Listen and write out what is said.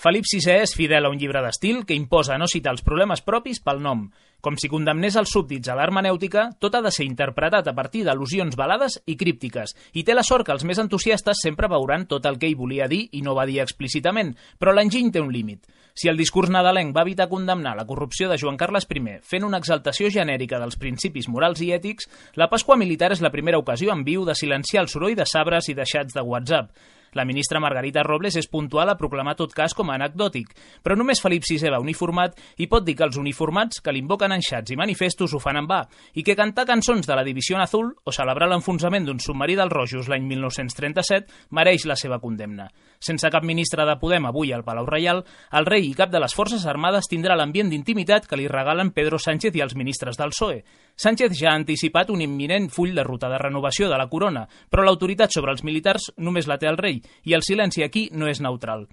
Felip VI és fidel a un llibre d'estil que imposa no citar els problemes propis pel nom. Com si condemnés els súbdits a l'hermenèutica, tot ha de ser interpretat a partir d'al·lusions velades i críptiques, i té la sort que els més entusiastes sempre veuran tot el que ell volia dir i no va dir explícitament, però l'enginy té un límit. Si el discurs nadalenc va evitar condemnar la corrupció de Joan Carles I fent una exaltació genèrica dels principis morals i ètics, la Pasqua Militar és la primera ocasió en viu de silenciar el soroll de sabres i de xats de WhatsApp. La ministra Margarita Robles és puntual a proclamar tot cas com a anecdòtic, però només Felip VI va uniformat i pot dir que els uniformats que l'invoquen en xats i manifestos ho fan en va, i que cantar cançons de la División Azul o celebrar l'enfonsament d'un submarí dels Rojos l'any 1937 mereix la seva condemna. Sense cap ministre de Podem avui al Palau Reial, el rei i cap de les Forces Armades tindrà l'ambient d'intimitat que li regalen Pedro Sánchez i els ministres del PSOE. Sánchez ja ha anticipat un imminent full de ruta de renovació de la corona, però l'autoritat sobre els militars només la té el rei, i el silenci aquí no és neutral.